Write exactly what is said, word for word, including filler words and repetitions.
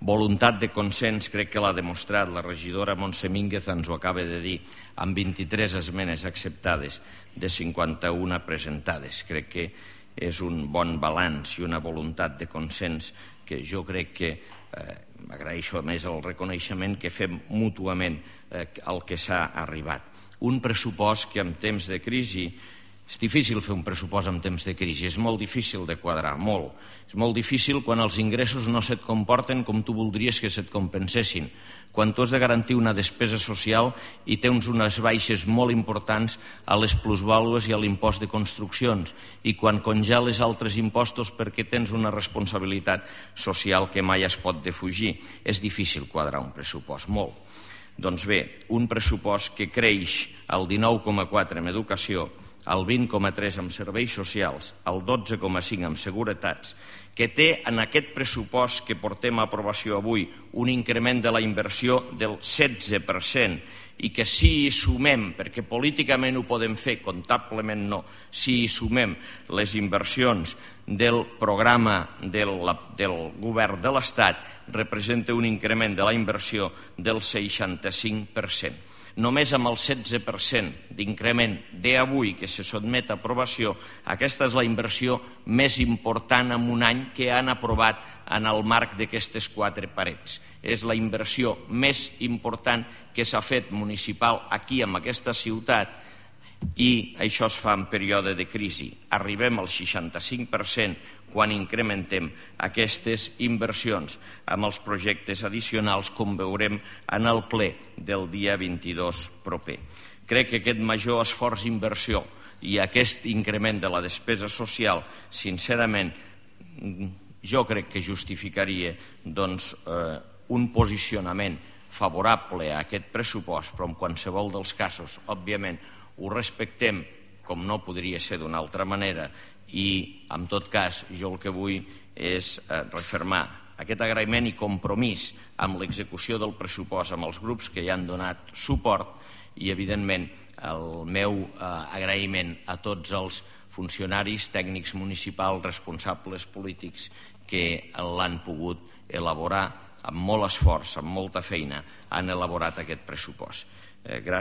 Voluntat de consens crec que l'ha demostrat la regidora Montse Mínguez, ens ho acaba de dir, amb vint-i-tres esmenes acceptades de cinquanta-una presentades. Crec que és un bon balanç i una voluntat de consens que jo crec que eh, agraeixo a més el reconeixement que fem mútuament eh, al que s'ha arribat. Un pressupost que en temps de crisi, és difícil fer un pressupost en temps de crisi, és molt difícil de quadrar, molt. És molt difícil quan els ingressos no se't comporten com tu voldries que se't compensessin, quan tu has de garantir una despesa social i tens unes baixes molt importants a les plusvàlues i a l'impost de construccions, i quan congeles altres impostos perquè tens una responsabilitat social que mai es pot defugir. És difícil quadrar un pressupost, molt. Doncs bé, un pressupost que creix al dinou coma quatre en educació, el vint coma tres en serveis socials, el dotze coma cinc en seguretats, que té en aquest pressupost que portem a aprovació avui un increment de la inversió del setze per cent i que si hi sumem, perquè políticament ho podem fer, comptablement no, si hi sumem les inversions del programa del, del govern de l'Estat, representa un increment de la inversió del seixanta-cinc per cent. Només amb el setze per cent d'increment d'avui que se sotmet a aprovació, aquesta és la inversió més important en un any que han aprovat en el marc d'aquestes quatre parets. És la inversió més important que s'ha fet municipal aquí, en aquesta ciutat, i això es fa en període de crisi. Arribem al seixanta-cinc per cent quan incrementem aquestes inversions amb els projectes addicionals, com veurem en el ple del dia vint-i-dos proper. Crec que aquest major esforç d'inversió i aquest increment de la despesa social, sincerament, jo crec que justificaria doncs, eh, un posicionament favorable a aquest pressupost, però en qualsevol dels casos, òbviament, ho respectem com no podria ser d'una altra manera i, en tot cas, jo el que vull és eh, refermar aquest agraïment i compromís amb l'execució del pressupost amb els grups que hi han donat suport i, evidentment, el meu eh, agraïment a tots els funcionaris, tècnics municipals, responsables polítics que l'han pogut elaborar amb molt esforç, amb molta feina, han elaborat aquest pressupost. Eh, gràcies.